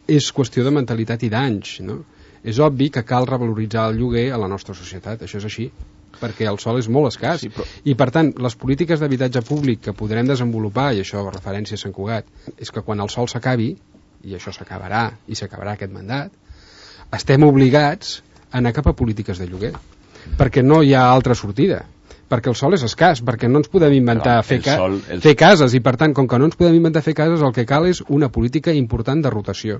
és qüestió de mentalitat i d'anys, no? És obvi que cal revaloritzar el lloguer a la nostra societat, això és així, perquè el sòl és molt escàs. Sí, però... I per tant, les polítiques d'habitatge públic que podrem desenvolupar, i això referència a Sant Cugat, és que quan el sòl s'acabi, i això s'acabarà, i s'acabarà aquest mandat, estem obligats a anar cap a polítiques de lloguer, perquè no hi ha altra sortida, perquè el sòl és escàs, perquè no ens podem inventar fer cases, i per tant, com que no ens podem inventar fer cases, el que cal és una política important de rotació.